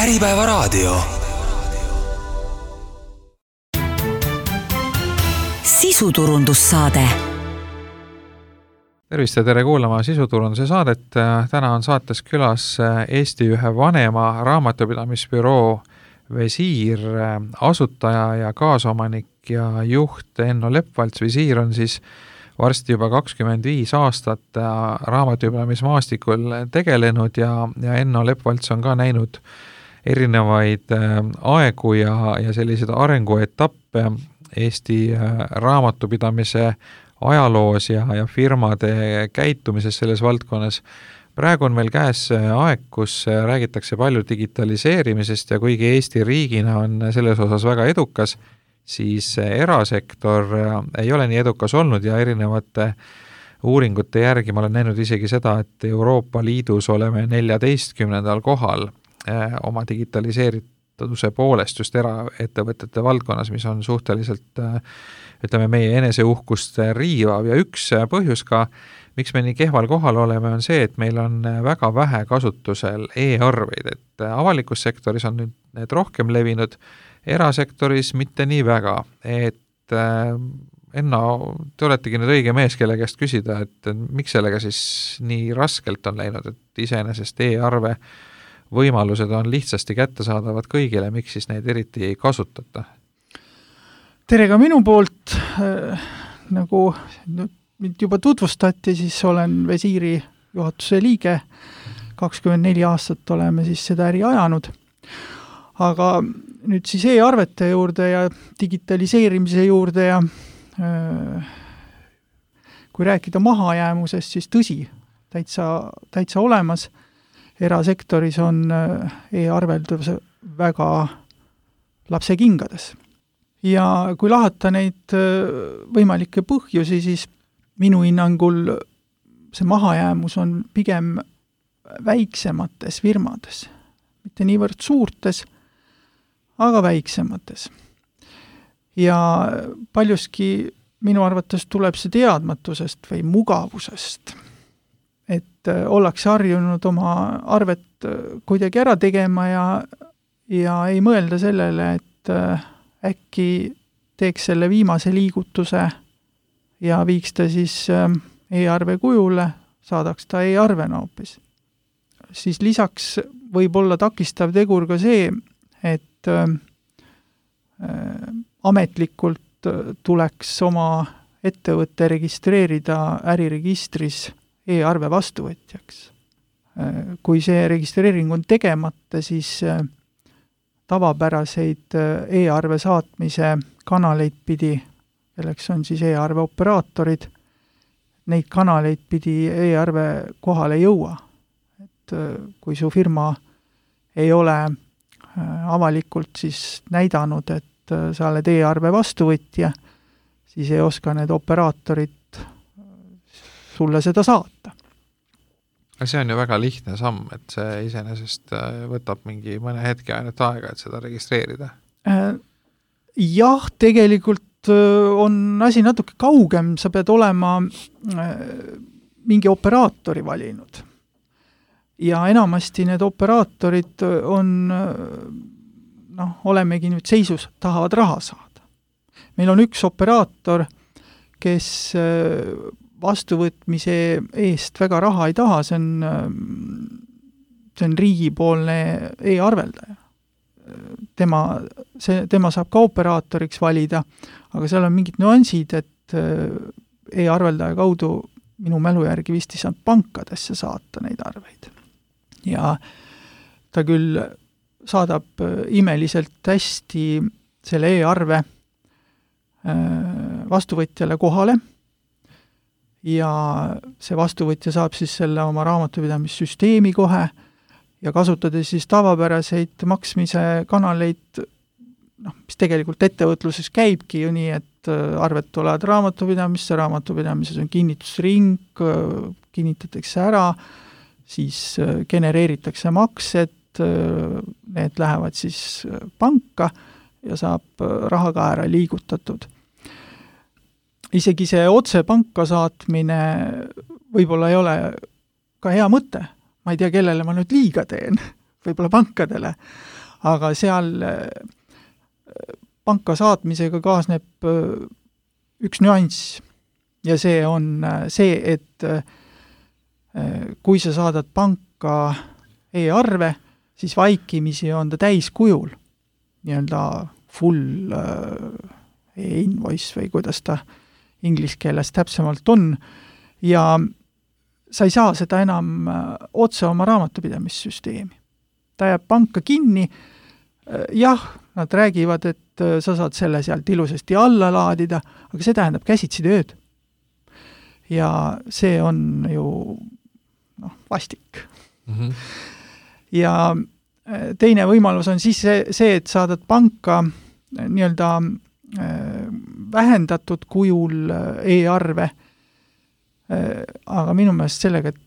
Äripäevaraadio. Sisuturundussaade. Tervist ja tere kuulama sisuturunduse saadet. Täna on saates külas Eesti ühe vanema raamatupidamisbüroo Visiir asutaja ja kaasomanik ja juht Enno Lepvalts. Visiir on siis varsti juba 25 aastat raamatupidamismaastikul tegelenud ja Enno Lepvalts on ka näinud erinevaid aegu ja selliseid arenguetappe Eesti raamatupidamise ajaloos ja firmade käitumises selles valdkonnas. Praegu on meil käes aeg, kus räägitakse palju digitaliseerimisest ja kuigi Eesti riigina on selles osas väga edukas, siis erasektor ei ole nii edukas olnud ja erinevate uuringute järgi ma olen näinud isegi seda, et Euroopa Liidus oleme 14. kohal oma digitaliseerituse poolest just eraettevõtete valdkonnas, mis on suhteliselt meie eneseuhkust riivav ja üks põhjus ka, miks me nii kehval kohal oleme, on see, et meil on väga vähe kasutusel e-arveid, et avalikus sektoris on nüüd need rohkem levinud, erasektoris mitte nii väga, et Enno, te oletegi nüüd õige mees, kelle käest küsida, et miks sellega siis nii raskelt on läinud, et iseenesest e-arve võimalused on lihtsasti kättesaadavad kõigile, miks siis neid eriti ei kasutata? Tere ka minu poolt, nagu mind juba tutvustati, siis olen Visiiri juhatuse liige, 24 aastat oleme siis seda äri ajanud, aga nüüd siis e-arvete juurde ja digitaliseerimise juurde ja kui rääkida mahajäämusest, siis tõsi, täitsa olemas, erasektoris on e-arveldus väga lapsekingades. Ja kui lahata neid võimalikke põhjusi, siis minu hinnangul see mahajäämus on pigem väiksemates firmades, mitte niivõrd suurtes, aga väiksemates. Ja paljuski minu arvates tuleb see teadmatusest või mugavusest, et ollakse harjunud oma arvet kuidagi ära tegema ja ei mõelda sellele, et äkki teeks selle viimase liigutuse ja viiks ta siis e-arve kujule, saadaks ta e-arvena hoopis. Siis lisaks võib olla takistav tegur ka see, et ametlikult tuleks oma ettevõtte registreerida äriregistris e-arve vastuvõtjaks. Kui see registreering on tegemata, siis tavapäraseid e-arve saatmise kanaleid pidi, kelleks on siis e-arve operaatorid, neid kanaleid pidi e-arve kohale jõua. Et kui su firma ei ole avalikult siis näidanud, et sa oled e-arve vastuvõtja, siis ei oska need operaatorid sulle seda saata. See on ju väga lihtne samm, et see iseenesest võtab mingi mõne hetke ainult aega, et seda registreerida. Jah, tegelikult on asi natuke kaugem, sa pead olema mingi operaatori valinud. Ja enamasti need operaatorid on, olemegi nüüd seisus, tahavad raha saada. Meil on üks operaator, kes vastuvõtmise eest väga raha ei taha, see on riigipoolne e-arveldaja. Tema saab ka operaatoriks valida, aga seal on mingid nüansid, et e-arveldaja kaudu minu mälu järgi vist ei saanud pankadesse saata neid arveid. Ja ta küll saadab imeliselt hästi selle e-arve vastuvõtjale kohale ja see vastuvõtja saab siis selle oma raamatupidamissüsteemi kohe ja kasutades siis tavapäraseid maksmise kanaleid, mis tegelikult ettevõtluses käibki ju nii, et arved tulevad raamatupidamises on kinnitusring, kinnitatakse ära, siis genereeritakse maksed, need lähevad siis panka ja saab raha ka ära liigutatud. Isegi see otse panka saatmine võib-olla ei ole ka hea mõte. Ma ei tea, kellele ma nüüd liiga teen, võib-olla pankadele, aga seal panka saatmisega kaasneb üks nüanss ja see on see, et kui sa saadad panka e-arve, siis vaikimisi on ta täiskujul, nii-öelda full e-invoice või kuidas ta inglise keeles täpsemalt on, ja sa ei saa seda enam otse oma raamatupidamissüsteemi. Ta jääb panka kinni, jah, nad räägivad, et sa saad selle sealt ilusasti alla laadida, aga see tähendab käsitsi tööd. Ja see on ju vastik. Mm-hmm. Ja teine võimalus on siis see, et saadad panka nii-öelda vähendatud kujul e-arve, aga minu meelest sellega, et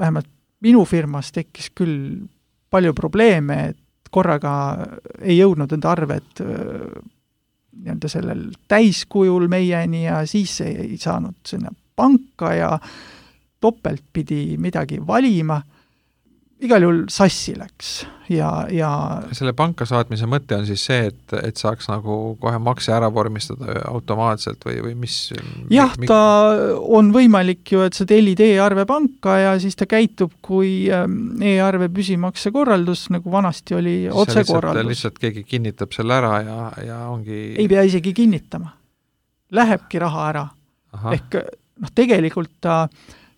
vähemalt minu firmas tekkis küll palju probleeme, et korraga ei jõudnud enda arved nii-öelda sellel täiskujul meieni ja siis ei saanud sinna panka ja topelt pidi midagi valima. Igal juhul sassi läks ja selle panka saatmise mõte on siis see, et saaks nagu kohe makse ära vormistada automaatselt või mis? Jah, ta on võimalik ju, et sa tellid e-arve panka ja siis ta käitub kui e-arve püsimakse korraldus, nagu vanasti oli otsekorraldus. Lihtsalt keegi kinnitab selle ära ja ongi... Ei pea isegi kinnitama. Lähebki raha ära. Aha. Ehk tegelikult ta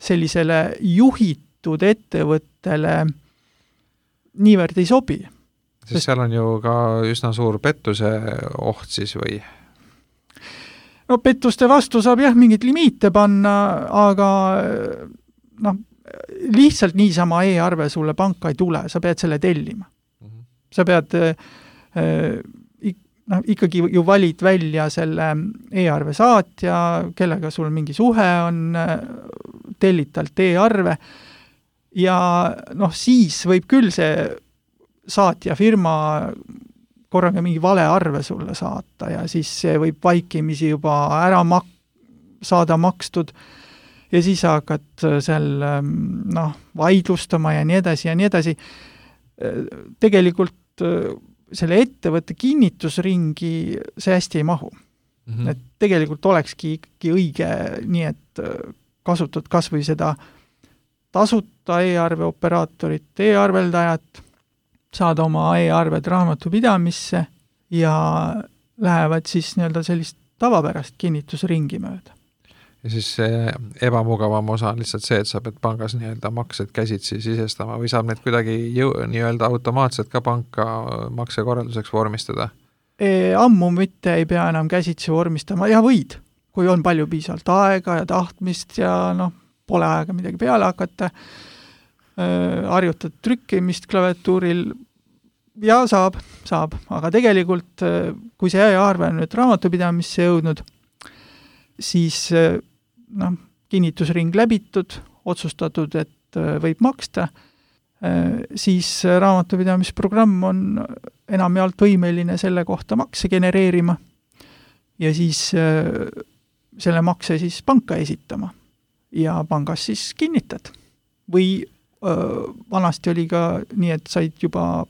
sellisele juhitud ettevõttele niivõrd ei sobi. Sest seal on ju ka üsna suur pettuse oht siis või? No pettuste vastu saab jah mingit limiite panna, aga lihtsalt niisama e-arve sulle panka ei tule, sa pead selle tellima. Mm-hmm. Sa pead ikkagi ju valid välja selle e-arve saatja, kellega sul mingi suhe on, tellid talt e-arve ja siis võib küll see saatja firma korraga mingi vale arve sulle saata ja siis see võib vaikimisi juba ära saada makstud ja siis hakkad seal vaidlustama ja nii edasi ja nii edasi. Tegelikult selle ettevõtte kinnitusringi see hästi ei mahu. Mm-hmm. Et tegelikult olekski ikkagi õige nii, et kasutad kas või seda tasuta e-arve operaatorit, e-arveldajat, saad oma e-arved raamatupidamisse ja lähevad siis nii-öelda sellist tavapärast kinnitusringi mööda. Ja siis see ebamugavam osa on lihtsalt see, et sa pead pangas nii-öelda maksed käsitsi sisestama või saab need kuidagi nii-öelda automaatselt ka panka maksekorralduseks vormistada? Ammu mitte ei pea enam käsitsi vormistama ja võid, kui on palju piisavalt aega ja tahtmist ja pole aega midagi peale hakata, harjutad trükkimist klaviatuuril ja saab, aga tegelikult kui see e-arve on nüüd raamatupidamisse jõudnud, siis kinnitusring läbitud, otsustatud, et võib maksta, siis raamatupidamisprogramm on enamjaolt võimeline selle kohta makse genereerima ja siis selle makse siis panka esitama ja pangas siis kinnitad. Või vanasti oli ka nii, et said juba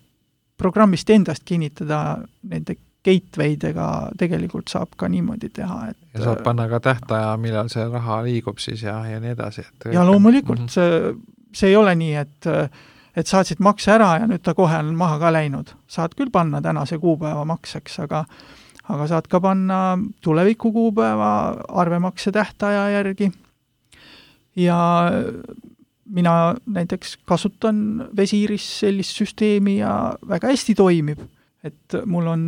programmist endast kinnitada nende gateway'dega tegelikult saab ka niimoodi teha. Ja saab panna ka tähtaja, millal see raha liigub siis ja nii edasi. Ja loomulikult see ei ole nii, et saatsid makse ära ja nüüd ta kohe on maha ka läinud. Saad küll panna tänase kuupäeva makseks, aga saad ka panna tuleviku kuupäeva arvemakse tähtaja järgi. Ja mina näiteks kasutan Visiris sellist süsteemi ja väga hästi toimib. Et mul on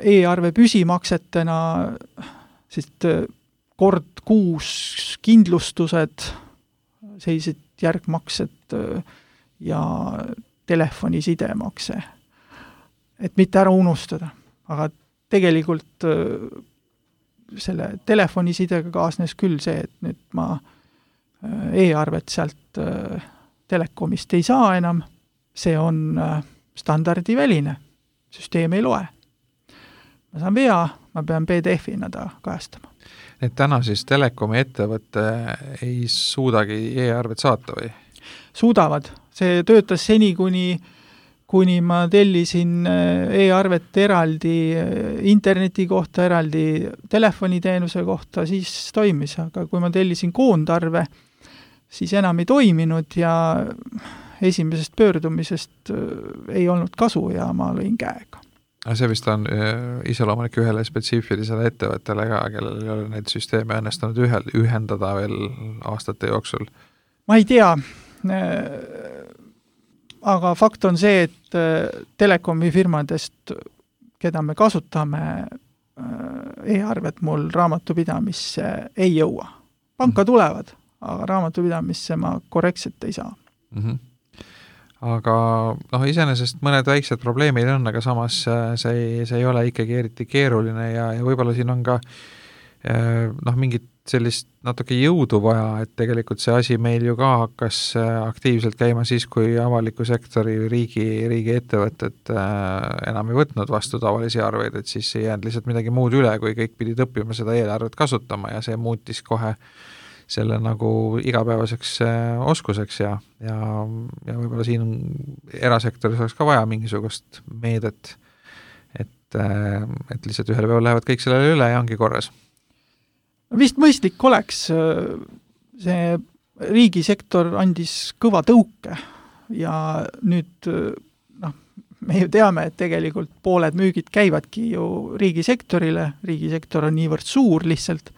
e-arve püsimaksetena sest kord kuus kindlustused, sellised järgmaksed ja telefonisidemaks. Et mitte ära unustada. Aga tegelikult selle telefonisidega kaasnes küll see, et nüüd ma e-arvet sealt telekomist ei saa enam. See on standardiväline. Süsteem ei loe. Ma saan vea, ma pean PDF-ina ta kajastama. Et täna siis telekomi ettevõtte ei suudagi e-arvet saata või? Suudavad, see töötas seni, kuni ma tellisin e-arvet eraldi interneti kohta, eraldi telefoniteenuse kohta, siis toimis, aga kui ma tellisin koondarve, siis enam ei toiminud ja esimesest pöördumisest ei olnud kasu ja ma lõin käega. See vist on iseloomulik ühele spetsiifilisele ettevõttele ka, kellel ei ole neid süsteeme õnnestunud ühendada veel aastate jooksul? Ma ei tea, aga fakt on see, et telekomi firmadest, keda me kasutame, e-arvet mul raamatupidamisse ei jõua. Panka tulevad, aga raamatupidamisse ma korrektselt ei saa. Aga iseenesest mõned väiksed probleemid on, aga samas see ei ole ikkagi eriti keeruline ja võib-olla siin on ka mingit sellist natuke jõudu vaja, et tegelikult see asi meil ju ka hakkas aktiivselt käima siis, kui avaliku sektori riigi ettevõtted enam ei võtnud vastu tavalisi arveid, et siis ei jäänud lihtsalt midagi muud üle, kui kõik pidid õppima seda eelarvet kasutama ja see muutis kohe selle nagu igapäevaseks oskuseks ja võib-olla siin erasektoris oleks ka vaja mingisugust meedet, et lihtsalt ühel päeval lähevad kõik sellele üle ja ongi korras. Vist mõistlik oleks, see riigisektor andis kõva tõuke ja nüüd me ju teame, et tegelikult pooled müügid käivadki ju riigisektor on niivõrd suur lihtsalt,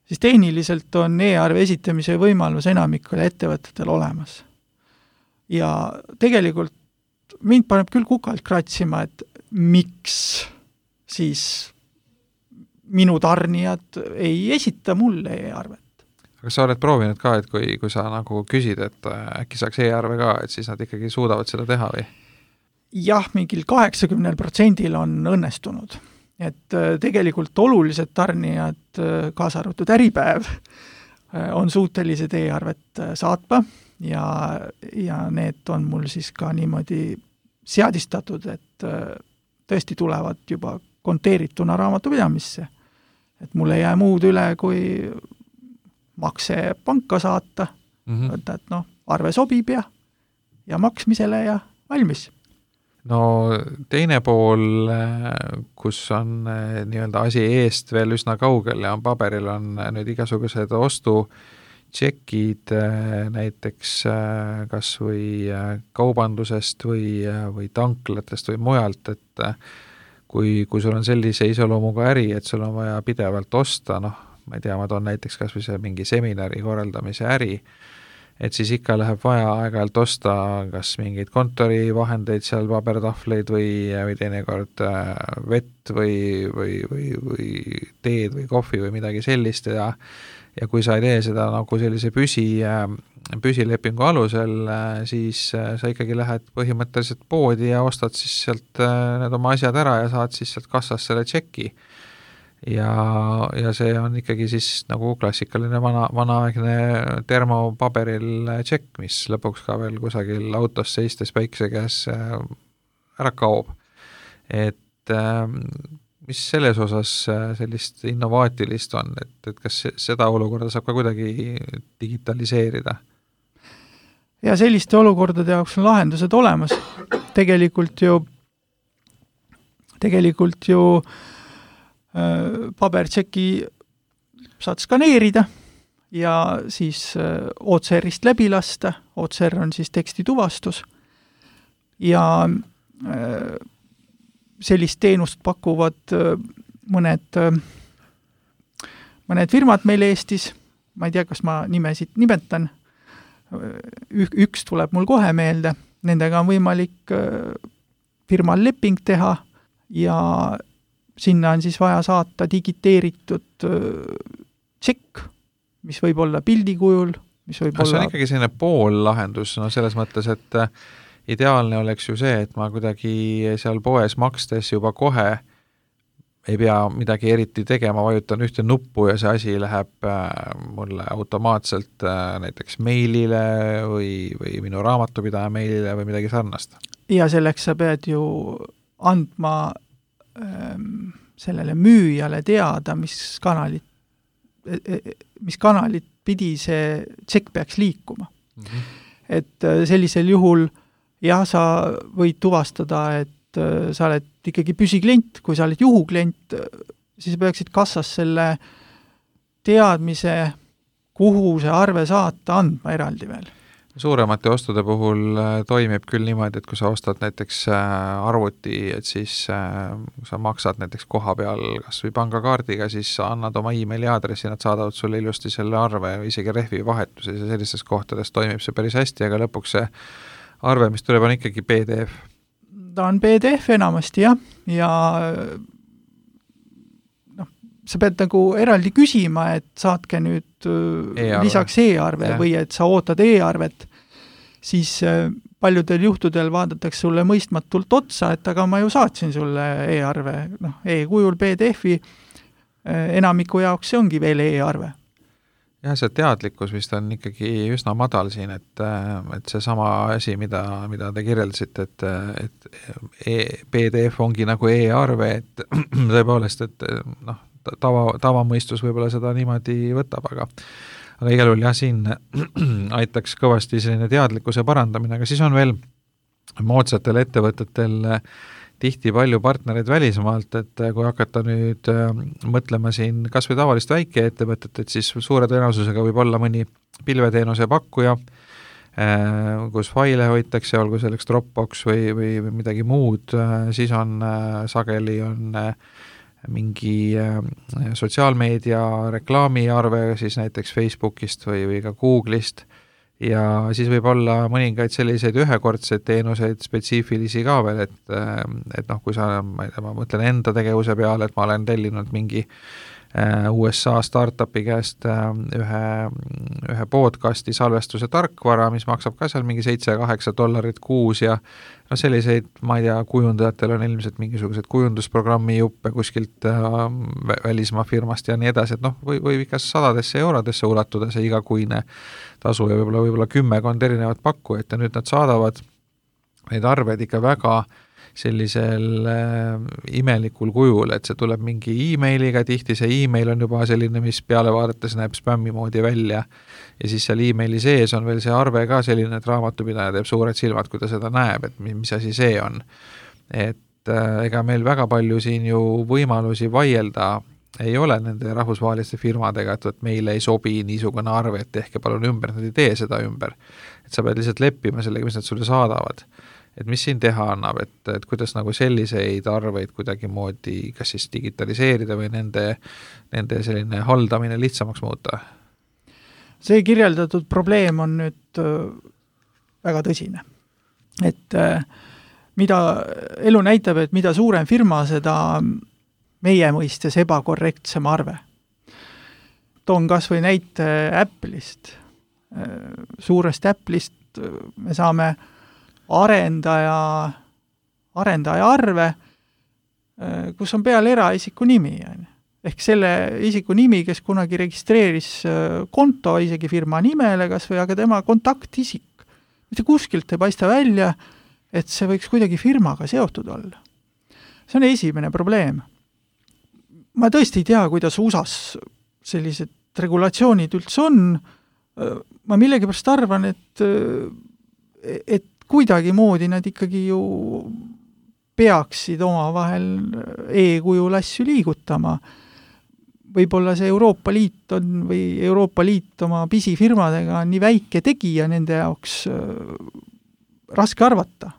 siis tehniliselt on e-arve esitamise võimalus enamikul ettevõtetel olemas. Ja tegelikult mind paneb küll kukalt kratsima, et miks siis minu tarnijad ei esita mulle e-arvet. Aga sa oled proovinud ka, et kui sa nagu küsid, et äkki saaks e-arve ka, et siis nad ikkagi suudavad seda teha või? Jah, mingil 80% on õnnestunud. Et tegelikult olulised tarnijad, kaasa arvatud Äripäev, on suutelised e-arvet saatma ja need on mul siis ka niimoodi seadistatud, et tõesti tulevad juba konteerituna raamatupidamisse. Et mul ei jää muud üle, kui makse panka saata, võtta, et arve sobib ja maksmisele ja valmis. No teine pool, kus on nii-öelda asi eest veel üsna kaugel ja on paberil, on nüüd igasugused ostutšekid näiteks kas või kaubandusest või tanklatest või mujalt, et kui sul on sellise iseloomuga äri, et sul on vaja pidevalt osta, ma ei tea, ma toon näiteks kas või see mingi seminari korraldamise äri, et siis ikka läheb vaja aeg-ajalt osta kas mingeid kontorivahendeid seal, pabertahvleid või teinekord vett või teed või kohvi või midagi sellist ja kui sa ei tee seda nagu sellise püsilepingu alusel, siis sa ikkagi lähed põhimõtteliselt poodi ja ostad siis sealt need oma asjad ära ja saad siis sealt kassast selle tšeki. Ja see on ikkagi siis nagu klassikaline vanaaegne termopaberil tšekk, mis lõpuks ka veel kusagil autos seistes päikse käes ära kaob. Et mis selles osas sellist innovaatilist on, et kas seda olukorda saab ka kuidagi digitaliseerida? Ja selliste olukordade jaoks on lahendused olemas. Tegelikult ju pabertšeki saad skaneerida ja siis OCR-ist läbi lasta. OCR on siis tekstituvastus ja sellist teenust pakuvad mõned firmad meil Eestis. Ma ei tea, kas ma nimesid nimetan. Üks tuleb mul kohe meelde. Nendega on võimalik firmal leping teha ja sinna on siis vaja saata digiteeritud tšekk, mis võib olla pildi kujul, mis võib olla... See on ikkagi selline poollahendus, selles mõttes, et ideaalne oleks ju see, et ma kuidagi seal poes makstes juba kohe ei pea midagi eriti tegema, vajutan ühte nuppu ja see asi läheb mulle automaatselt näiteks meilile või minu raamatupidaja meilile või midagi sarnast. Ja selleks sa pead ju andma sellele müüjale teada, mis kanalit pidi see tšekk peaks liikuma. et sellisel juhul jah, sa võid tuvastada, et sa oled ikkagi püsiklient, kui sa oled juhuklient, siis peaksid kassas selle teadmise, kuhu see arve saata, andma eraldi veel. Suuremate ostude puhul toimib küll niimoodi, et kui sa ostad näiteks arvuti, et siis sa maksad näiteks koha peal kas või pangakaardiga, siis sa annad oma emaili aadressi, nad saadavad sulle ilusti selle arve, isegi rehvi vahetuses ja sellistes kohtades toimib see päris hästi, aga lõpuks see arve, mis tuleb, on ikkagi PDF. Ta on PDF enamasti, jah, ja sa pead nagu eraldi küsima, et saatke nüüd lisaks e-arve või et sa ootad e-arvet, siis paljudel juhtudel vaadatakse sulle mõistmatult otsa, et aga ma ju saatsin sulle e-arve, e-kujul PDF-i, enamiku jaoks see ongi veel e-arve. Jah, see teadlikkus vist on ikkagi üsna madal siin, et see sama asi, mida te kirjeldasite, et PDF ongi nagu e-arve, et tõepoolest, et tavamõistus võib-olla seda niimoodi võtab, aga igal juhul jah, siin aitaks kõvasti selline teadlikkuse parandamine, aga siis on veel moodsatel ettevõtetel tihti palju partnereid välismaalt, et kui hakata nüüd mõtlema siin kas või tavalist väikeettevõtet, et siis suure tõenäosusega võib olla mõni pilveteenuse pakkuja, kus faile hoitakse, olgu selleks Dropbox või midagi muud, siis on sageli on mingi sotsiaalmeedia reklaamiarve siis näiteks Facebookist või ka Google'ist ja siis võib olla mõningaid selliseid ühekordseid teenuseid spetsiifilisi ka veel, et kui sa, ma mõtlen enda tegevuse peale, et ma olen tellinud mingi USA startupi käest ühe podcasti salvestuse tarkvara, mis maksab ka seal mingi $7-8 kuus ja selliseid, ma ei tea, kujundajatel on ilmselt mingisugused kujundusprogrammi juppe kuskilt välismaa firmast ja nii edasi, et võib ikka sadadesse eurodesse ulatuda see igakuine tasu ja võib-olla 10 erinevat pakkujat ja nüüd nad saadavad neid arveid ikka väga sellisel imelikul kujul, et see tuleb mingi e-mailiga, tihti see e-mail on juba selline, mis peale vaadates näeb spämmi moodi välja ja siis seal e-maili sees on veel see arve ka selline, et raamatupidaja teeb suured silmad, kui ta seda näeb, et mis asi see on. Et ega meil väga palju siin ju võimalusi vaielda ei ole nende rahvusvaheliste firmadega, et meile ei sobi niisugune arve, et tehke palun ümber, nad ei tee seda ümber. Et sa pead lihtsalt leppima sellega, mis nad sulle saadavad. Et mis siin teha annab, et kuidas nagu selliseid arveid kuidagi moodi kas siis digitaliseerida või nende selline haldamine lihtsamaks muuta? See kirjeldatud probleem on nüüd väga tõsine. Et mida elu näitab, et mida suurem firma, seda meie mõistes ebakorrektsem arve. Toon kas või näite Apple'ist. Suurest Apple'ist me saame arendaja arve, kus on peal eraisiku nimi. Ehk selle isiku nimi, kes kunagi registreeris konto isegi firma nimele kas või, aga tema kontaktisik. Mitte kuskilt ei paista välja, et see võiks kuidagi firmaga seotud olla. See on esimene probleem. Ma tõesti ei tea, kuidas USAs sellised regulatsioonid üldse on. Ma millegipärast arvan, et kuidagi moodi nad ikkagi ju peaksid oma vahel e-kujul asju liigutama. Võib-olla see Euroopa Liit on või Euroopa Liit oma pisifirmadega on nii väike tegija nende jaoks raske arvata,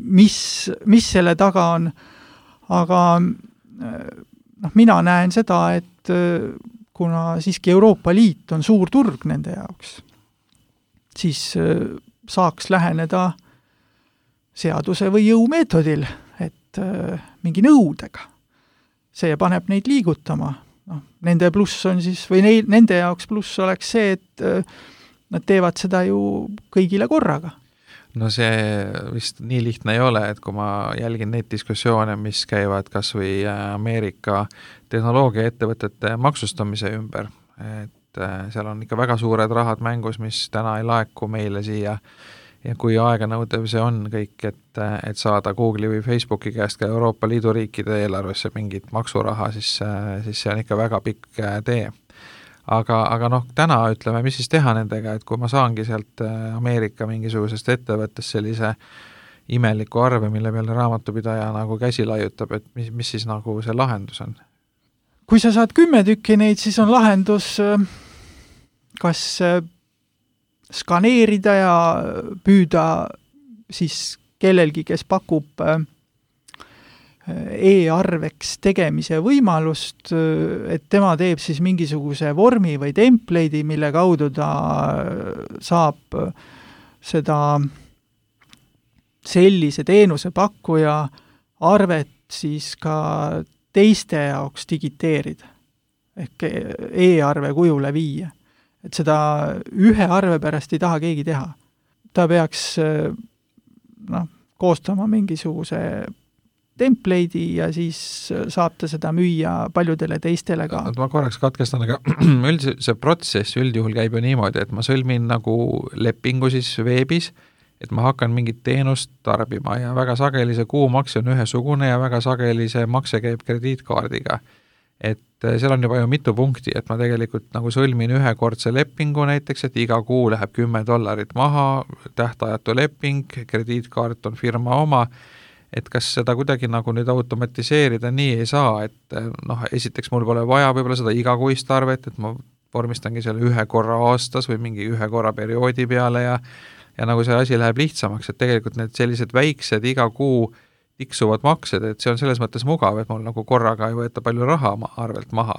mis selle taga on. Aga mina näen seda, et kuna siiski Euroopa Liit on suur turg nende jaoks, siis saaks läheneda seaduse või jõumeetodil, et mingi nõudega. See paneb neid liigutama. Nende pluss on siis, või nende jaoks pluss oleks see, et nad teevad seda ju kõigile korraga. No see vist nii lihtne ei ole, et kui ma jälgin neid diskussioone, mis käivad kas või Ameerika tehnoloogiaettevõtete maksustamise ümber, et seal on ikka väga suured rahad mängus, mis täna ei laeku meile siia ja kui aeganõudev see on kõik, et saada Google'i või Facebooki käest ka Euroopa Liidu riikide eelarvesse mingit maksuraha, siis see on ikka väga pikk tee. aga noh, täna ütleme, mis siis teha nendega, et kui ma saangi sealt Ameerika mingisugusest ettevõttest sellise imeliku arve, mille peale raamatupidaja nagu käsi laiutab, et mis siis nagu see lahendus on? Kui sa saad 10 tükki neid, siis on lahendus kas skaneerida ja püüda siis kellelgi, kes pakub e-arveks tegemise võimalust, et tema teeb siis mingisuguse vormi või template'i, mille kaudu ta saab seda sellise teenuse pakkuja arvet siis ka teiste jaoks digiteerida ehk e-arve kujule viia. Et seda ühe arve pärast ei taha keegi teha. Ta peaks koostama mingisuguse template'i ja siis saab ta seda müüa paljudele teistele ka. Ma korraks katkestan, aga see protsess üldjuhul käib ju niimoodi, et ma sõlmin nagu lepingu siis veebis, et ma hakkan mingit teenust tarbima ja väga sageli see kuumakse on ühesugune ja väga sageli see makse käib krediitkaardiga. Et seal on juba ju mitu punkti, et ma tegelikult nagu sõlmin ühekordse lepingu näiteks, et iga kuu läheb $10 maha, tähtajatu leping, krediitkaart on firma oma, et kas seda kuidagi nagu nüüd automatiseerida nii ei saa, et esiteks mul pole vaja võib-olla seda igakuist arvet, et ma vormistangi selle ühe korra aastas või mingi ühe korra perioodi peale ja nagu see asi läheb lihtsamaks, et tegelikult need sellised väiksed iga kuu tiksuvad maksed, et see on selles mõttes mugav, et mul nagu korraga ei võeta palju raha arvelt maha.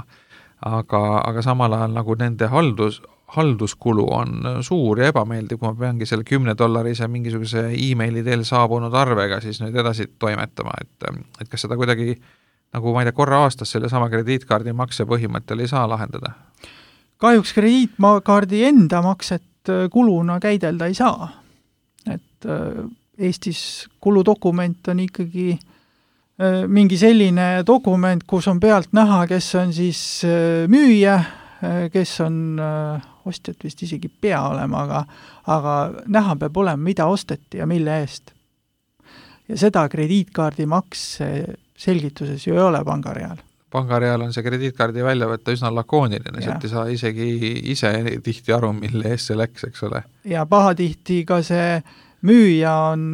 Aga samal ajal nagu nende halduskulu on suur ja ebameeldiv, kui ma peangi selle $10 mingisuguse e-maili teel saabunud arvega siis nüüd edasi toimetama, et kas seda kuidagi nagu ma ei tea, korra aastas selle sama krediitkaardi makse põhimõttel ei saa lahendada? Kahjuks krediitkaardi enda makset kuluna käidelda ei saa. Et Eestis kuludokument on ikkagi mingi selline dokument, kus on pealt näha, kes on siis müüja, kes on ostjat vist isegi pea olema, aga näha peab olema, mida osteti ja mille eest. Ja seda krediitkaardi makse selgituses ju ei ole pangareal. Pangareal on see krediitkaardi välja võtta üsna lakooniline, sealt ei saa isegi ise tihti aru, mille eest see läks, eks ole. Ja pahatihti ka see müüja on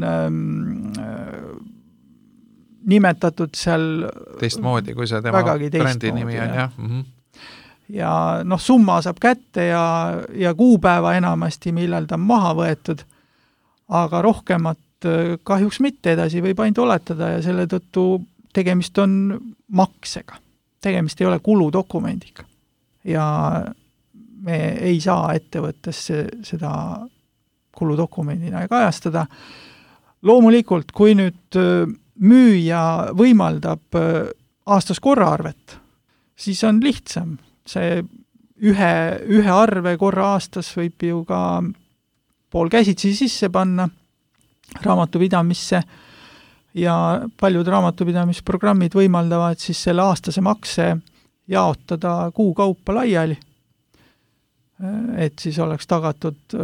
nimetatud seal teistmoodi, kui see tema brändi nimi on, jah. Ja summa saab kätte ja kuupäeva enamasti, millal ta on maha võetud, aga rohkemat kahjuks mitte edasi võib ainult oletada ja selle tõttu tegemist on maksega. Tegemist ei ole kuludokumendiga. Ja me ei saa ettevõttes seda kuludokumendina kajastada. Loomulikult, kui nüüd müüja võimaldab aastas korraarvet, siis on lihtsam. See ühe arve korra aastas võib ju ka pool käsitsi sisse panna raamatupidamisse ja paljud raamatupidamisprogrammid võimaldavad siis selle aastase makse jaotada kuu kaupa laiali, et siis oleks tagatud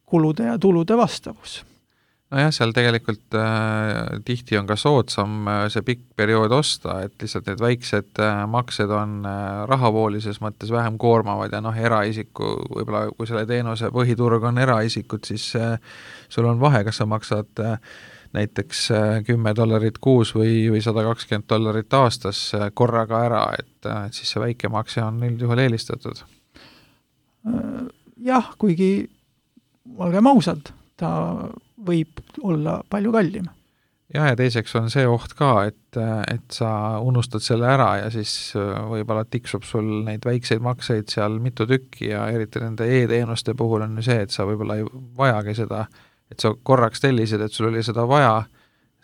kulude ja tulude vastavus. Nojah, seal tegelikult tihti on ka soodsam see pikk periood osta, et lihtsalt need väiksed maksed on rahavoolises mõttes vähem koormavad ja eraisiku, võib-olla kui selle teenuse põhiturg on eraisikud, siis sul on vahe, kas sa maksad näiteks $10 kuus või $120 aastas korraga ära, et siis see väike makse on üldjuhul eelistatud. Jah, kuigi olgem ausad, ta võib olla palju kallim. Ja teiseks on see oht ka, et sa unustad selle ära ja siis võib-olla tiksub sul neid väikseid makseid seal mitu tükki ja eriti nende e-teenuste puhul on see, et sa võib-olla ei vajagi seda, et sa korraks tellisid, et sul oli seda vaja,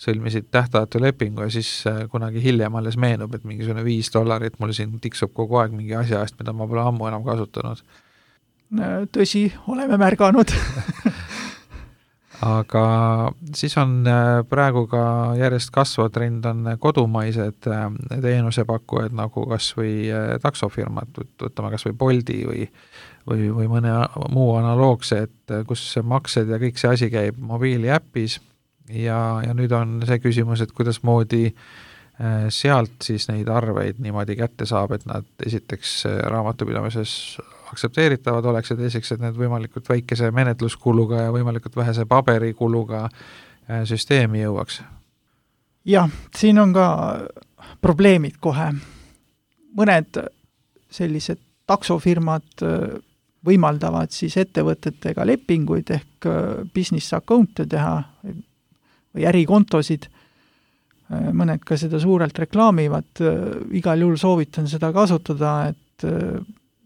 sõlmisid tähtajatu lepingu ja siis kunagi hiljem alles meenub, et mingisugune $5 mul siin tiksub kogu aeg mingi asja eest, mida ma pole ammu enam kasutanud. Tõsi, oleme märganud. Aga siis on praegu ka järjest kasvav trend on kodumaised teenusepakkujad nagu kas või taksofirmad, võtame kas või Bolti või mõne muu analoogse, et kus maksed ja kõik see asi käib mobiiliäppis ja nüüd on see küsimus, et kuidas moodi sealt siis neid arveid niimoodi kätte saab, et nad esiteks raamatupidamises aktsepteeritavad oleks ja teiseks, et need võimalikult väikese menetluskuluga ja võimalikult vähese paberikuluga süsteemi jõuaks. Jah, siin on ka probleemid kohe. Mõned sellised taksofirmad võimaldavad siis ettevõtetega lepinguid ehk business account'e teha või ärikontosid. Mõned ka seda suurelt reklaamivad. Igal juhul soovitan seda kasutada, et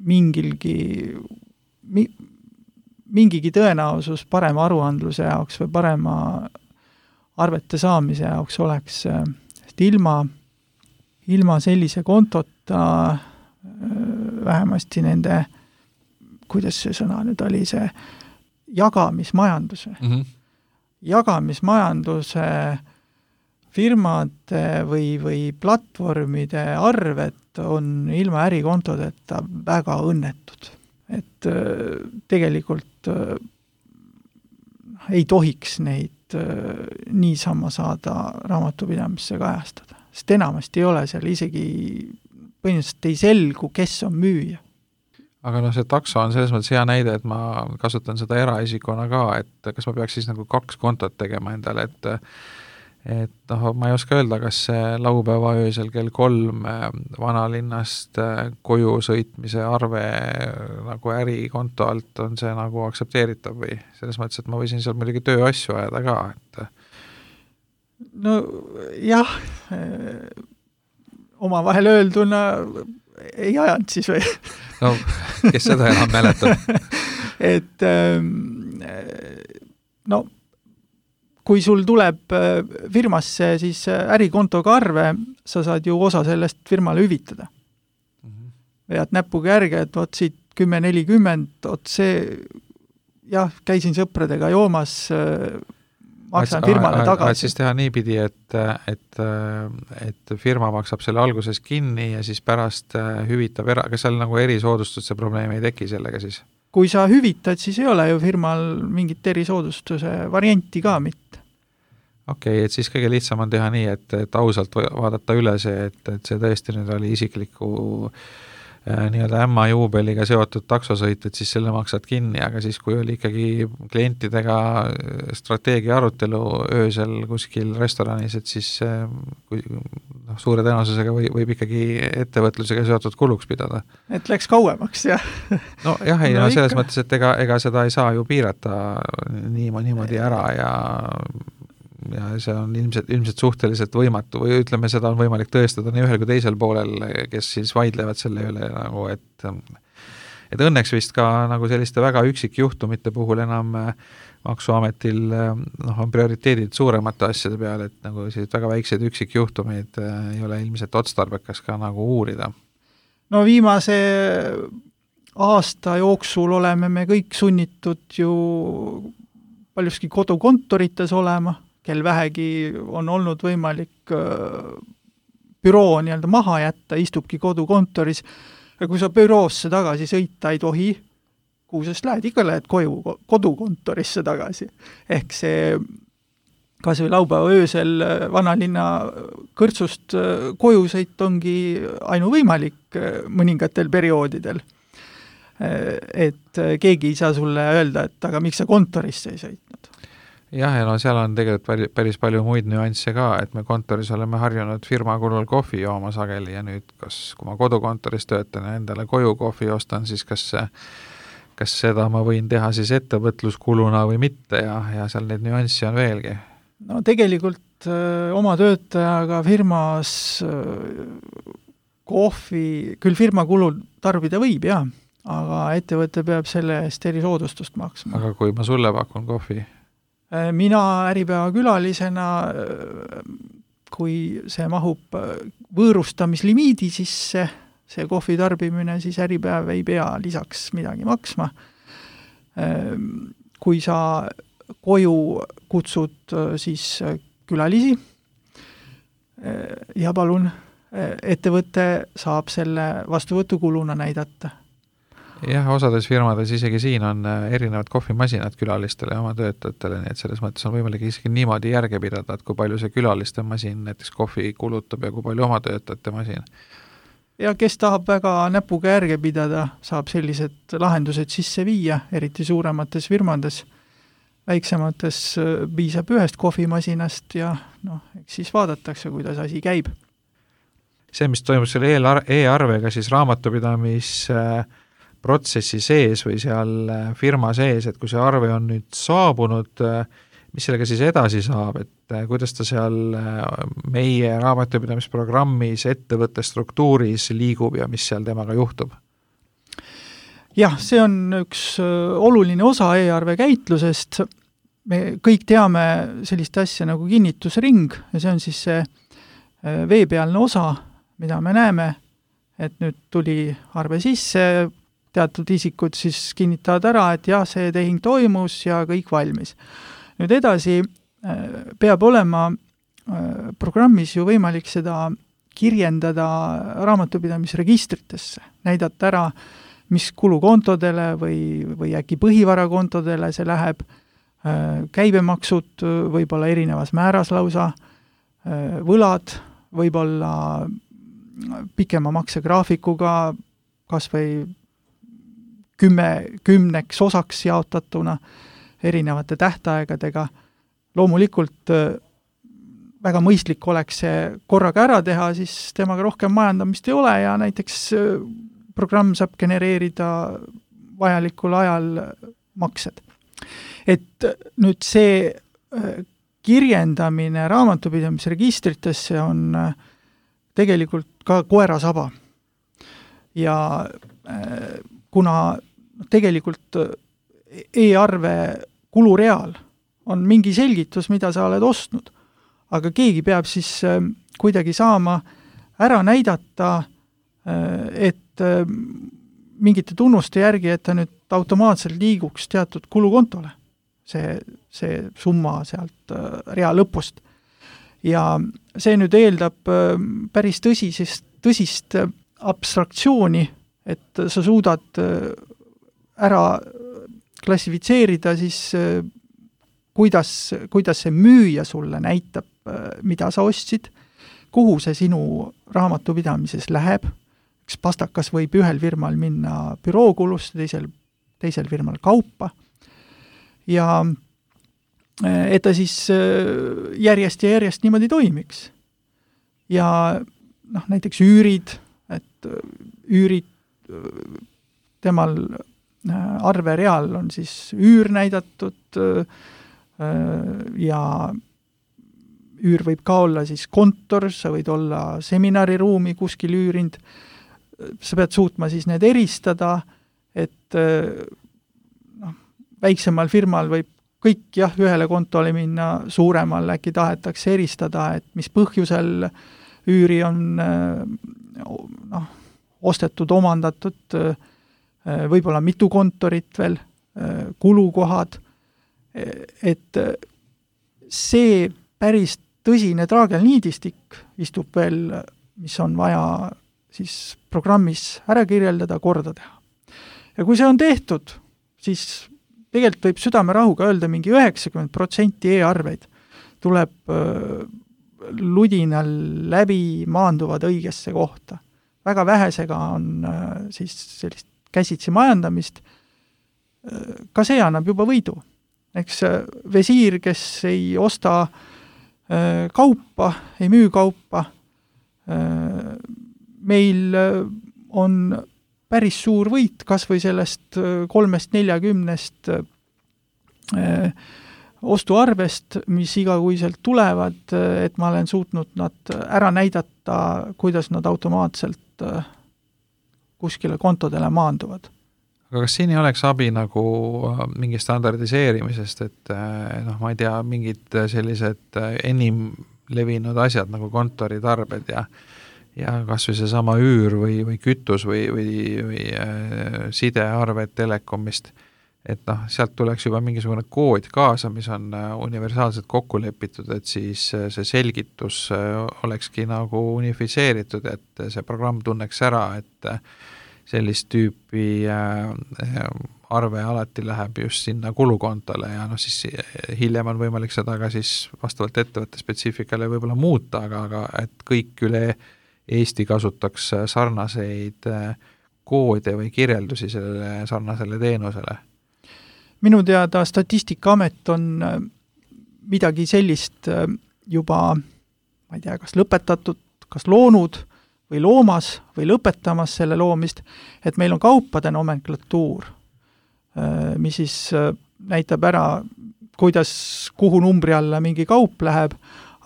mingigi tõenäosus parema aruandluse jaoks või parema arvete saamise jaoks oleks, et ilma sellise kontota vähemasti nende, kuidas see sõna nüüd oli, see jagamismajanduse. Jagamismajanduse firmade või platvormide arved on ilma ärikontodeta väga õnnetud. Et tegelikult ei tohiks neid niisama saada raamatupidamisse kajastada. Sest enamasti ei ole seal isegi põhimõtteliselt ei selgu, kes on müüja. Aga see takso on selles mõttes hea näide, et ma kasutan seda eraisikuna ka, et kas ma peaks siis nagu 2 kontot tegema endale, et ma ei oska öelda, kas see laupäeva öösel kell 3 vanalinnast koju sõitmise arve nagu ärikonto alt on see nagu aktsepteeritav või selles mõttes, et ma võisin seal muidugi tööasju ajada ka, et no jah, omavahel öelduna ei ajanud siis või? No, kes seda enam mäletab? Et no, kui sul tuleb firmasse siis ärikontoga arve, sa saad ju osa sellest firmale hüvitada. Vead näpuga järge, et võt siit 10-40, see, jah, käisin sõpradega joomas, maksan firmale tagasi. Siis teha niipidi, et firma maksab selle alguses kinni ja siis pärast hüvitab kas seal nagu erisoodustuse probleemi ei teki sellega siis? Kui sa hüvitad, siis ei ole ju firmal mingit erisoodustuse varianti ka mitte. Okei, et siis kõige lihtsam on teha nii, et ausalt vaadata üle see, et see tõesti nüüd oli isikliku nii-öelda ämma juubeliga seotud taksosõit, et siis selle maksad kinni, aga siis kui oli ikkagi klientidega strateegia arutelu öösel kuskil restoranis, et siis suure tõenäosusega võib ikkagi ettevõtlusega seotud kuluks pidada. Et läks kauemaks, jah. No jah, ei, no selles mõttes, et ega seda ei saa ju piirata niimoodi ära ja see on ilmselt suhteliselt võimatu või ütleme, seda on võimalik tõestada nii ühel kui teisel poolel, kes siis vaidlevad selle üle nagu, et õnneks vist ka nagu selliste väga üksikjuhtumite puhul enam maksuametil on prioriteedid suuremate asjade peale, et nagu sellised väga väiksed üksikjuhtumid ei ole ilmselt otstarbekas ka nagu uurida. No viimase aasta jooksul oleme me kõik sunnitud ju paljuski kodukontorites olema, kel vähegi on olnud võimalik büroo nii-öelda maha jätta, istubki kodukontoris, ja kui sa büroosse tagasi sõita ei tohi, kuhu sest lähed, ikka lähed kodukontorisse tagasi. Ehk see kas või laupäeva öösel vanalinna kõrtsust koju sõit ongi ainuvõimalik mõningatel perioodidel. Et keegi ei saa sulle öelda, et aga miks sa kontorisse ei sõitnud. Jah, ja no seal on tegelikult päris palju muid nüansse ka, et me kontoris oleme harjunud firma kulul kohvi jooma sageli ja nüüd, kui ma kodukontoris töötan ja endale koju kohvi ostan, siis kas seda ma võin teha siis ettevõtluskuluna või mitte ja seal neid nüanssi on veelgi? No tegelikult oma töötajaga firmas kohvi, küll firma kulul tarbida võib, jah, aga ettevõte peab selle eest erisoodustust maksma. Aga kui ma sulle pakun kohvi? Mina äripäeva külalisena, kui see mahub võõrustamislimiidi sisse, see kohvi tarbimine, siis äripäev ei pea lisaks midagi maksma. Kui sa koju kutsud siis külalisi ja palun, ettevõte saab selle vastuvõtukuluna näidata. Jah, osades firmades isegi siin on erinevad kohvimasinad külalistele ja oma töötajatele, nii et selles mõttes on võimalik isegi niimoodi järge pidada, et kui palju see külaliste masin näiteks kohvi kulutab ja kui palju oma töötajate masin. Ja kes tahab väga näpuga järge pidada, saab sellised lahendused sisse viia, eriti suuremates firmades. Väiksemates piisab ühest kohvimasinast ja eks siis vaadatakse, kuidas asi käib. See, mis toimub selle e-arvega, siis raamatupidamisprotsessi sees või seal firma sees, et kui see arve on nüüd saabunud, mis sellega siis edasi saab, et kuidas ta seal meie raamatupidamisprogrammis ettevõtte struktuuris liigub ja mis seal temaga juhtub? Jah, see on üks oluline osa e-arve käitlusest. Me kõik teame sellist asja nagu kinnitusring ja see on siis see veepealne osa, mida me näeme, et nüüd tuli arve sisse, teatud isikud siis kinnitavad ära, et jah, see tehing toimus ja kõik valmis. Nüüd edasi peab olema programmis ju võimalik seda kirjendada raamatupidamisregistritesse, näidata ära, mis kulukontodele või äkki põhivarakontodele see läheb, käibemaksud võib-olla erinevas määras lausa, võlad võib-olla pikema maksegraafikuga, kas või 10 osaks jaotatuna erinevate tähtaegadega. Loomulikult väga mõistlik oleks see korraga ära teha, siis temaga rohkem majandamist ei ole ja näiteks programm saab genereerida vajalikul ajal maksed. Et nüüd see kirjendamine raamatupidamisregistritesse on tegelikult ka koerasaba. Ja kuna tegelikult e-arve kulureal on mingi selgitus, mida sa oled ostnud, aga keegi peab siis kuidagi saama ära näidata, et mingite tunnuste järgi, et ta nüüd automaatselt liiguks teatud kulukontole, see summa sealt rea lõpust. Ja see nüüd eeldab päris tõsist abstraktsiooni, et sa suudad ära klassifitseerida siis, kuidas see müüja sulle näitab, mida sa ostsid, kuhu see sinu raamatupidamises läheb. Üks pastakas võib ühel firmal minna bürookulusse, teisel firmal kaupa. Ja et ta siis järjest ja järjest niimoodi toimiks. Ja näiteks üürid, et üürid temal arvereal on siis üür näidatud ja üür võib ka olla siis kontor, sa võid olla seminariruumi kuskil üürind, sa pead suutma siis need eristada, et väiksemal firmal võib kõik ühele kontole minna, suuremal äkki tahetakse eristada, et mis põhjusel üüri on ostetud, omandatud, võib-olla mitu kontorit veel, kulukohad, et see päris tõsine traagelniidistik istub veel, mis on vaja siis programmis ära kirjeldada, korda teha. Ja kui see on tehtud, siis tegelikult võib südamerahuga öelda mingi 90% e-arveid tuleb ludinal läbi maanduvad õigesse kohta. Väga vähesega on siis sellist käsitsi majandamist. Ka see annab juba võidu. Eks visiir, kes ei osta kaupa, ei müü kaupa, meil on päris suur võit, kas või sellest 3-40 ostuarvest, mis igakuiselt tulevad, et ma olen suutnud nad ära näidata, kuidas nad automaatselt kuskile kontodele maanduvad. Aga kas siin ei oleks abi nagu mingi standardiseerimisest, et ma ei tea, mingid sellised enim levinud asjad nagu kontoritarbed ja kas või see sama üür või kütus või sidearved telekomist, et sealt tuleks juba mingisugune kood kaasa, mis on universaalselt kokku lepitud, et siis see selgitus olekski nagu unifitseeritud, et see programm tunneks ära, et sellist tüüpi arve alati läheb just sinna kulukontole ja siis hiljem on võimalik seda ka siis vastavalt ettevõtte spetsiifikale võib-olla muuta, aga et kõik üle Eesti kasutaks sarnaseid koode või kirjeldusi sellele sarnasele teenusele? Minu teada Statistikaamet on midagi sellist juba, ma ei tea, kas lõpetatud, kas loonud või loomas või lõpetamas selle loomist, et meil on kaupade nomenklatuur, mis siis näitab ära, kuhu numbri alla mingi kaup läheb,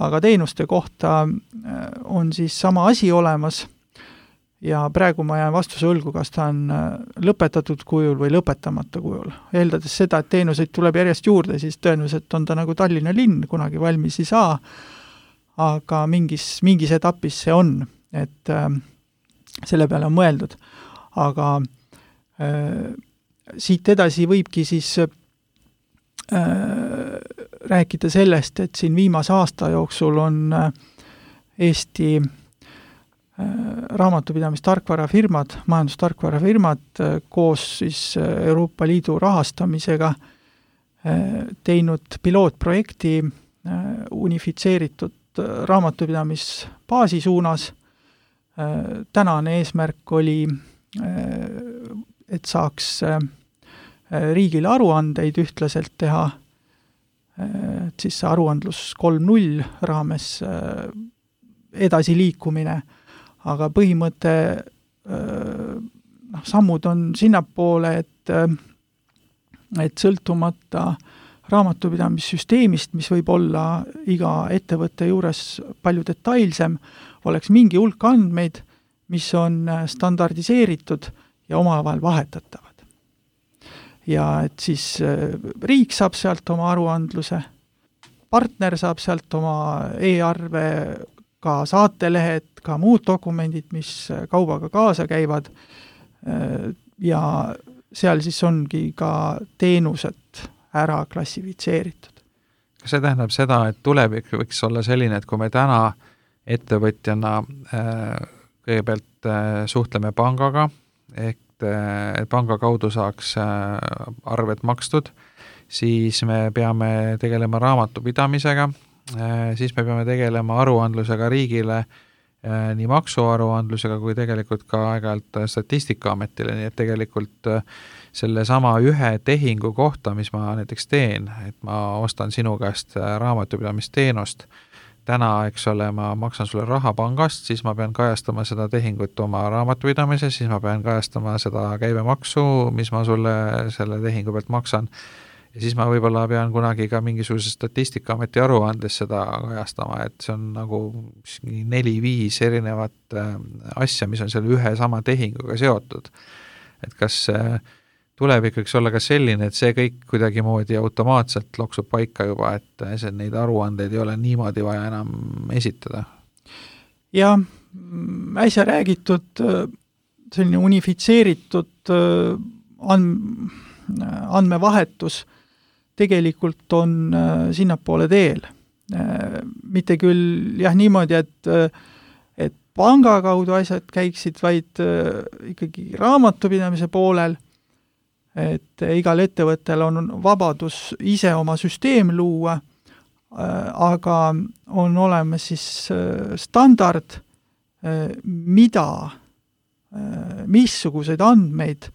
aga teenuste kohta on siis sama asi olemas ja praegu ma jään vastuse õlgu, kas ta on lõpetatud kujul või lõpetamata kujul. Eeldades seda, et teenuseid tuleb järjest juurde, siis tõenäoliselt on ta nagu Tallinna linn, kunagi valmis ei saa, aga mingis etapis see on, et selle peale on mõeldud. Aga siit edasi võibki siis rääkida sellest, et siin viimase aasta jooksul on Eesti raamatupidamistarkvarafirmad, majandustarkvarafirmad koos siis Euroopa Liidu rahastamisega teinud pilootprojekti unifitseeritud raamatupidamisbaasi suunas. Tänane eesmärk oli, et saaks riigile aruandeid ühtlaselt teha, et siis aruandlus 3.0 raames edasi liikumine, aga põhimõte sammud on sinnapoole, et sõltumata raamatupidamissüsteemist, mis võib olla iga ettevõtte juures palju detailsem, oleks mingi hulk andmeid, mis on standardiseeritud ja omavahel vahetatavad. Ja et siis riik saab sealt oma aruandluse, partner saab sealt oma e-arve, ka saatelehed, ka muud dokumendid, mis kaubaga kaasa käivad ja seal siis ongi ka teenused ära klassifitseeritud. Kas see tähendab seda, et tulevik võiks olla selline, et kui me täna ettevõtjana kõigepealt suhtleme pangaga, ehk panga kaudu saaks arved makstud, siis me peame tegelema raamatupidamisega, siis me peame tegelema aruandlusega riigile, nii maksuaruandlusega kui tegelikult ka aeg-ajalt Statistikaametile, nii et tegelikult selle sama ühe tehingu kohta, mis ma näiteks teen, et ma ostan sinu käest raamatupidamisteenust, täna, eks ole, ma maksan sulle raha pangast, siis ma pean kajastama seda tehingut oma raamatupidamises, siis ma pean kajastama seda käibemaksu, mis ma sulle selle tehingu pealt maksan. Ja siis ma võib-olla pean kunagi ka mingisuguse Statistikaameti aruandes seda kajastama, et see on nagu 4-5 erinevat asja, mis on selle ühe sama tehinguga seotud. Et kas tulevik võiks olla ka selline, et see kõik kuidagi moodi automaatselt loksub paika juba, et neid aruandeid ei ole niimoodi vaja enam esitada? Ja äsja räägitud selline unifitseeritud andmevahetus tegelikult on sinnapoole teel. Mitte küll niimoodi, et panga kaudu asjad käiksid, vaid ikkagi raamatupidamise poolel, et igal ettevõttel on vabadus ise oma süsteem luua, aga on olemas siis standard, missuguseid andmeid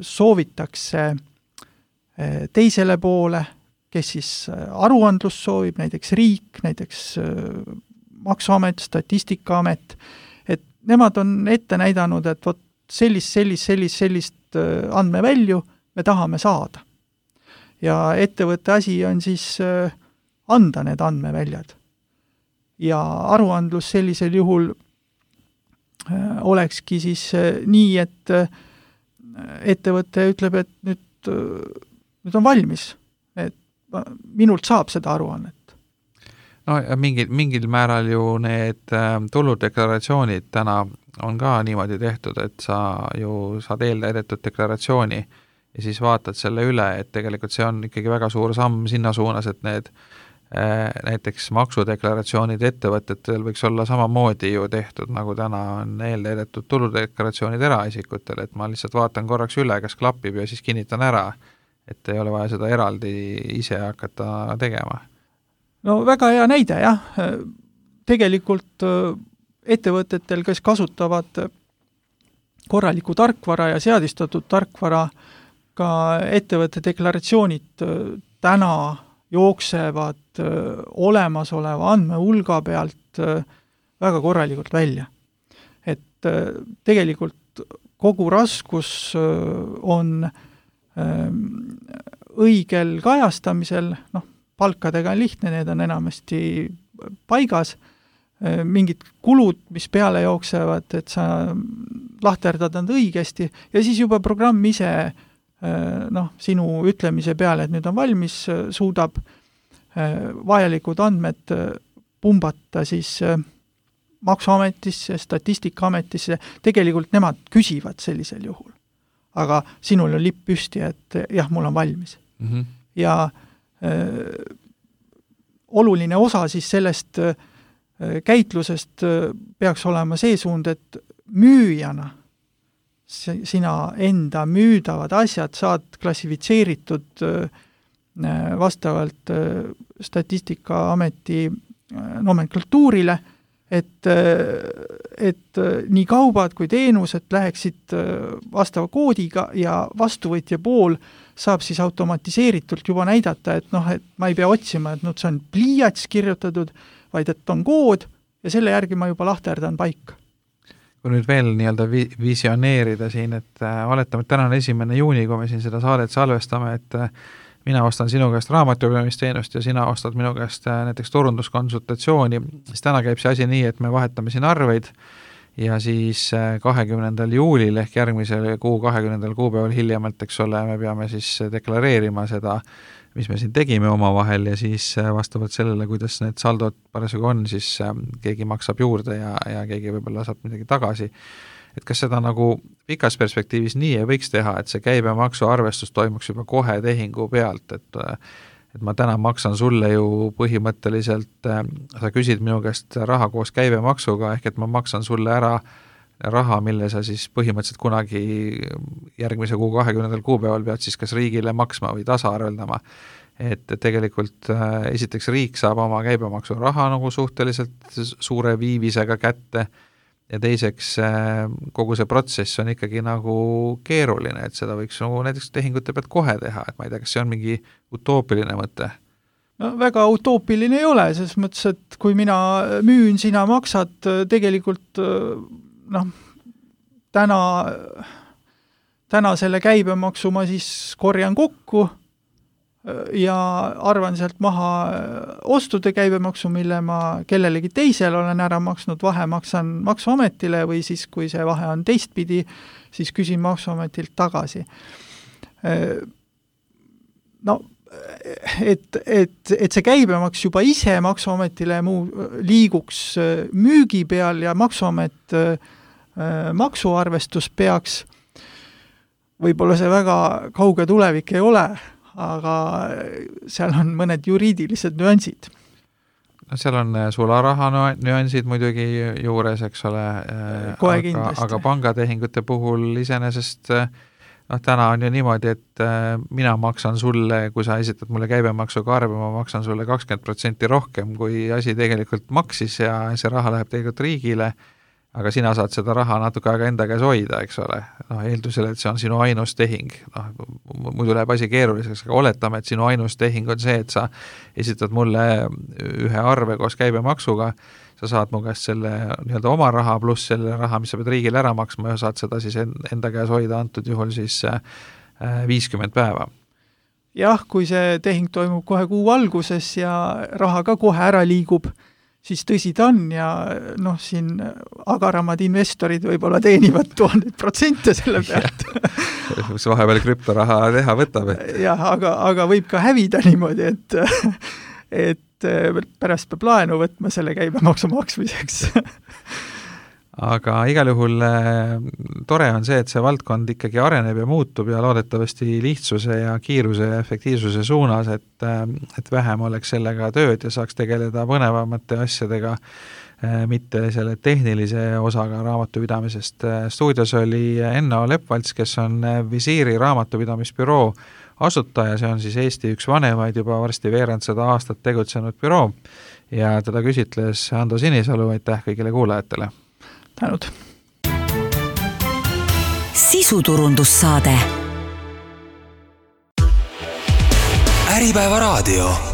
soovitakse teisele poole, kes siis aruandlust soovib, näiteks riik, näiteks Maksuamet, Statistikaamet, et nemad on ette näidanud, et vot sellist andmevälju me tahame saada. Ja ettevõtte asi on siis anda need andmeväljad. Ja aruandlus sellisel juhul olekski siis nii, et ettevõte ütleb, et nüüd on valmis, et minult saab seda aruannet. No ja mingil määral ju need tuludeklaratsioonid täna on ka niimoodi tehtud, et sa ju saad eeltäidetud deklaratsiooni ja siis vaatad selle üle, et tegelikult see on ikkagi väga suur samm sinna suunas, et need näiteks maksudeklaratsioonid ettevõtetel võiks olla samamoodi ju tehtud, nagu täna on eeltäidetud tuludeklaratsioonid eraisikutel, et ma lihtsalt vaatan korraks üle, kas klapib ja siis kinnitan ära, et ei ole vaja seda eraldi ise hakata tegema. No väga hea näide, jah. Tegelikult ettevõtetel, kes kasutavad korralikku tarkvara ja seadistatud tarkvara, ka ettevõtte deklaratsioonid täna jooksevad olemasoleva andmehulga pealt väga korralikult välja. Et tegelikult kogu raskus on õigel kajastamisel, palkadega on lihtne, need on enamasti paigas, mingid kulud, mis peale jooksevad, et sa lahterdad nad õigesti ja siis juba programm ise sinu ütlemise peale, et nüüd on valmis, suudab vajalikud andmed pumbata siis Maksuametisse, Statistikaametisse, tegelikult nemad küsivad sellisel juhul. Aga sinul on lipp püsti, et jah, mul on valmis. Mm-hmm. Ja oluline osa siis sellest käitlusest peaks olema see suund, et müüjana sina enda müüdavad asjad saad klassifitseeritud vastavalt Statistikaameti nomenklatuurile, et nii kaubad kui teenused läheksid vastava koodiga ja vastuvõtja pool saab siis automatiseeritult juba näidata, et et ma ei pea otsima, et see on pliiats kirjutatud, vaid et on kood ja selle järgi ma juba lahterdan paika. Kui nüüd veel nii-öelda visioneerida siin, et oletame, et täna on 1. juuni, kui me siin seda saadet salvestame, et mina ostan sinu käest raamatupidamisteenust ja sina ostad minu käest näiteks turunduskonsultatsiooni, siis täna käib see asi nii, et me vahetame siin arveid ja siis 20. juulil ehk järgmisel kuu 20. kuupäeval hiljemalt, eks ole, me peame siis deklareerima seda, mis me siin tegime omavahel ja siis vastavalt sellele, kuidas need saldod parasjagu on, siis keegi maksab juurde ja keegi võib-olla saab midagi tagasi. Et kas seda nagu pikas perspektiivis nii ei võiks teha, et see käibemaksu arvestus toimuks juba kohe tehingu pealt, et ma täna maksan sulle ju põhimõtteliselt, sa küsid minu käest raha koos käibemaksuga, ehk et ma maksan sulle ära raha, mille sa siis põhimõtteliselt kunagi järgmise kuu 20. kuupäeval pead siis kas riigile maksma või tasaarveldama. Et tegelikult esiteks riik saab oma käibemaksu raha nagu suhteliselt suure viivisega kätte ja teiseks kogu see protsess on ikkagi nagu keeruline, et seda võiks nagu näiteks tehingute pealt kohe teha, et ma ei tea, kas see on mingi utoopiline mõte? No väga utoopiline ei ole, selles mõttes, et kui mina müün, sina maksad, tegelikult täna selle käibemaksu ma siis korjan kokku ja arvan sealt maha ostude käibemaksu, mille ma kellelegi teisel olen ära maksnud, vahe maksan Maksuametile või siis, kui see vahe on teistpidi, siis küsin Maksuametilt tagasi. Et see käibemaks juba ise Maksuametile liiguks müügi peal ja Maksuamet maksuarvestus peaks, võib-olla see väga kauge tulevik ei ole, aga seal on mõned juriidilised nüansid. No seal on sularaha nüansid muidugi juures, eks ole, aga pangatehingute puhul iseenesest täna on ju niimoodi, et mina maksan sulle, kui sa esitad mulle käibemaksuga arve, ma maksan sulle 20% rohkem, kui asi tegelikult maksis ja see raha läheb tegelikult riigile, aga sina saad seda raha natuke aega enda käes hoida, eks ole. Eeldusel, et see on sinu ainus tehing. Muidu läheb asi keeruliseks, aga oletame, et sinu ainus tehing on see, et sa esitad mulle ühe arve koos käibemaksuga, sa saad mu käest selle nii-öelda oma raha pluss selle raha, mis sa pead riigile ära maksma ja saad seda siis enda käes hoida antud juhul siis 50 päeva. Jah, kui see tehing toimub kohe kuu alguses ja raha ka kohe ära liigub, siis tõsi ta on ja siin agaramad investorid võib-olla teenivad 1000% selle pealt. Mis vahepeal krüptoraha teha võtab. Jah, aga võib ka hävida niimoodi, et pärast peab laenu võtma selle käibemaksu maksmiseks. aga igal juhul tore on see, et see valdkond ikkagi areneb ja muutub ja loodetavasti lihtsuse ja kiiruse ja efektiivsuse suunas, et vähem oleks sellega tööd ja saaks tegeleda põnevamate asjadega, mitte selle tehnilise osaga raamatupidamisest. Stuudios oli Enno Lepvalts, kes on Visiiri raamatupidamisbüroo asutaja, see on siis Eesti üks vanemaid, juba varsti veerand 100 aastat tegutsenud büroo ja teda küsitles Ando Sinisalu, aitäh kõigile kuulajatele! Tänud! Sisuturundussaade Äripäeva raadio